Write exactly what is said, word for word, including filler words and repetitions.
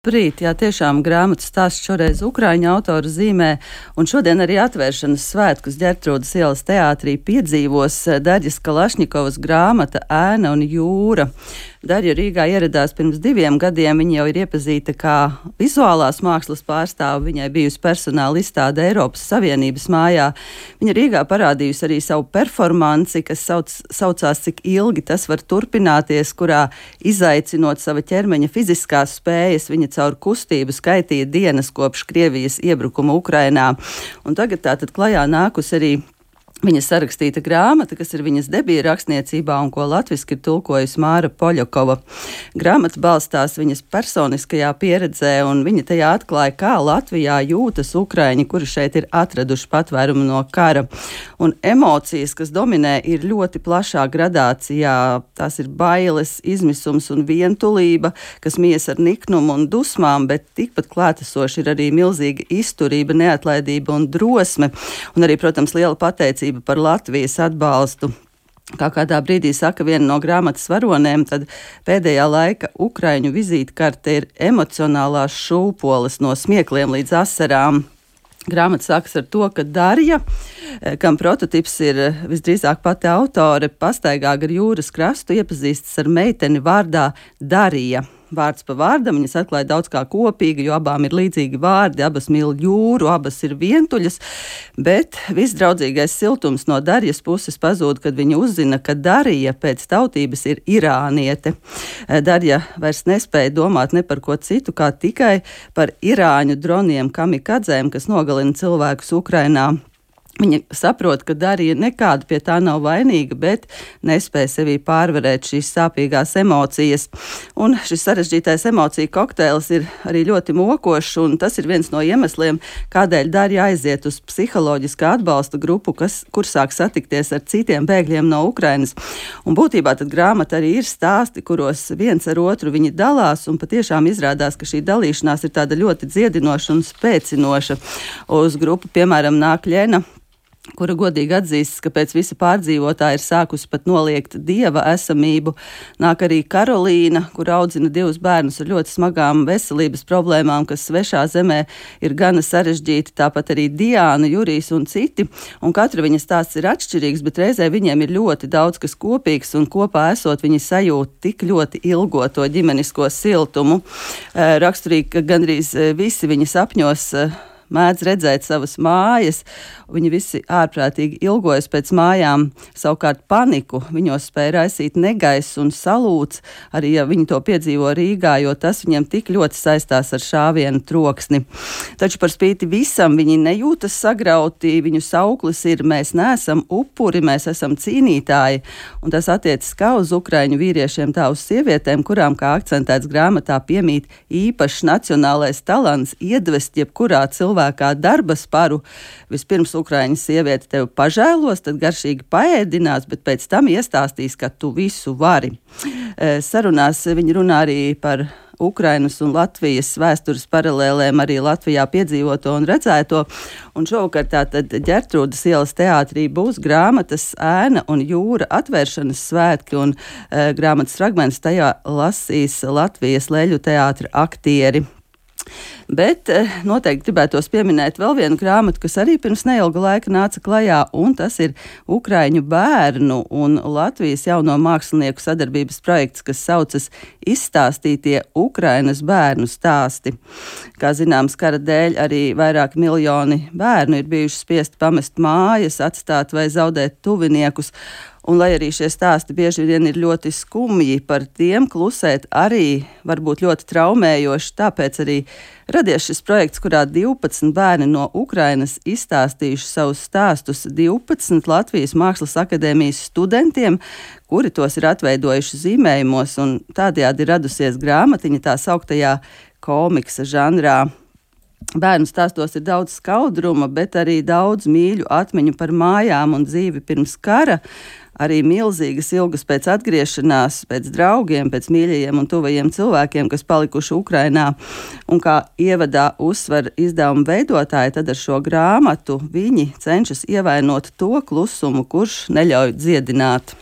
Brīt, jā, tiešām grāmatas stāsts šoreiz ukraiņu autora zīmē, un šodien arī atvēršanas svētkus Ģertrūdes ielas teātrī piedzīvos Darjas Kalašņikovas grāmata Ēna un jūra. Darja Rīgā ieradās pirms diviem gadiem, viņa jau ir iepazīta kā vizuālās mākslas pārstāve, viņai bijusi personāla izstāde Eiropas Savienības mājā. Viņa Rīgā parādījusi arī savu performanci, kas sauc, saucās Cik ilgi tas var turpināties, kurā izaicinot sava ķermeņa fiziskās spējas, viņa caur kustību skaitīja dienas kopš Krievijas iebrukuma Ukrainā. Un tagad tātad klajā nākus arī viņa sarakstīta grāmata, kas ir viņas debija rakstniecībā un ko latviski ir tulkojusi Māra Poļakova. Grāmata balstās viņas personiskajā pieredzē, un viņa tajā atklāja, kā Latvijā jūtas ukraiņi, kuri šeit ir atraduši patvērumu no kara. Un emocijas, kas dominē, ir ļoti plašā gradācijā. Tās ir bailes, izmisums un vientulība, kas mies ar niknumu un dusmām, bet tikpat klātesoši ir arī milzīga izturība, neatlaidība un drosme, un arī, protams, liela pateicība par Latvijas atbalstu. Kā kādā brīdī saka viena no grāmatas varonēm, tad pēdējā laika ukraiņu vizītkarte ir emocionālās šūpoles no smiekliem līdz asarām. Grāmata sākas ar to, ka Darja, kam prototips ir visdrīzāk pati autore, pastaigā gar jūras krastu iepazīstas ar meiteni vārdā Darija. Vārds pa vārdam viņas atklāja daudz kā kopīgi, jo abām ir līdzīgi vārdi, abas mīl jūru, abas ir vientuļas, bet viss draudzīgais siltums no Darjas puses pazūd, kad viņa uzzina, ka Darija pēc tautības ir irāniete. Darja vairs nespēja domāt ne par ko citu, kā tikai par irāņu droniem kamikadzēm, kas nogalina cilvēkus Ukrainā. Viņa saprot, ka Darija nekāda pie tā nav vainīga, bet nespēja sevī pārvarēt šīs sāpīgās emocijas. Un šis sarežģītais emociju kokteils ir arī ļoti mokošs, un tas ir viens no iemesliem, kādēļ Darja aiziet uz psiholoģiskā atbalsta grupu, kas, kur sāk satikties ar citiem bēgļiem no Ukrainas. Un būtībā tad grāmata arī ir stāsti, kuros viens ar otru viņi dalās, un patiešām izrādās, ka šī dalīšanās ir tāda ļoti dziedinoša un spēcinoša. Uz grupu, piemēram, nāk Ļena, kura godīgi atzīstas, ka pēc visa pārdzīvotā ir sākusi pat noliegt dieva esamību. Nāk arī Karolīna, kur audzina divus bērnus ar ļoti smagām veselības problēmām, kas svešā zemē ir gana sarežģīti, tāpat arī Diāna, Jurijs un citi. Un katra viņas stāsts ir atšķirīgs, bet reizē viņiem ir ļoti daudz kas kopīgs, un kopā esot viņi sajūt tik ļoti ilgoto ģimenisko siltumu. Raksturīgi, ka gandrīz visi viņa sapņos mēdz redzēt savas mājas, viņi visi ārprātīgi ilgojas pēc mājām, savukārt paniku viņos spēja raisīt negaiss un salūts, arī ja viņi to piedzīvo Rīgā, jo tas viņiem tik ļoti saistās ar šāvienu troksni. Taču par spīti visam viņi nejūtas sagrauti, viņu sauklis ir mēs neesam upuri, mēs esam cīnītāji, un tas attiecas kā uz ukraiņu vīriešiem, tā uz sievietēm, kurām, kā akcentēts grāmatā, piemīt īpašs nacionālais talants iedvest jebkurā cilvēkā kā darba sparu. Vispirms ukraiņu sieviete tevi pažēlos, tad garšīgi paēdinās, bet pēc tam iestāstīs, ka tu visu vari. Sarunās viņi runā arī par Ukrainas un Latvijas vēstures paralēlēm, arī Latvijā piedzīvoto un redzēto. Un šovakar tātad Ģertrūdes ielas teātrī būs grāmatas Ēna un jūra atvēršanas svētki, un e, grāmatas fragments tajā lasīs Latvijas Leļu teātra aktieri. Bet noteikti gribētos pieminēt vēl vienu grāmatu, kas arī pirms neilga laika nāca klajā, un tas ir Ukraiņu bērnu un Latvijas jauno mākslinieku sadarbības projekts, kas saucas Izstāstītie Ukrainas bērnu stāsti. Kā zināms, kara dēļ arī vairāki miljoni bērnu ir bijuši spiesti pamest mājas, atstāt vai zaudēt tuviniekus. Un, lai arī šie stāsti bieži vien ir ļoti skumji, par tiem klusēt arī var būt ļoti traumējoši, tāpēc arī radies šis projekts, kurā divpadsmit bērni no Ukrainas izstāstījuši savus stāstus divpadsmit Latvijas Mākslas akadēmijas studentiem, kuri tos ir atveidojuši zīmējumos, un tādējādi ir radusies grāmatiņa tā sauktajā komiksa žanrā. Bērnu stāstos ir daudz skaudruma, bet arī daudz mīļu atmiņu par mājām un dzīvi pirms kara, arī milzīgas ilgas pēc atgriešanās, pēc draugiem, pēc mīļajiem un tuvajiem cilvēkiem, kas palikuši Ukrainā. Un kā ievadā uzsver izdevuma veidotāji, tad ar šo grāmatu viņi cenšas ievainot to klusumu, kurš neļauj dziedināt.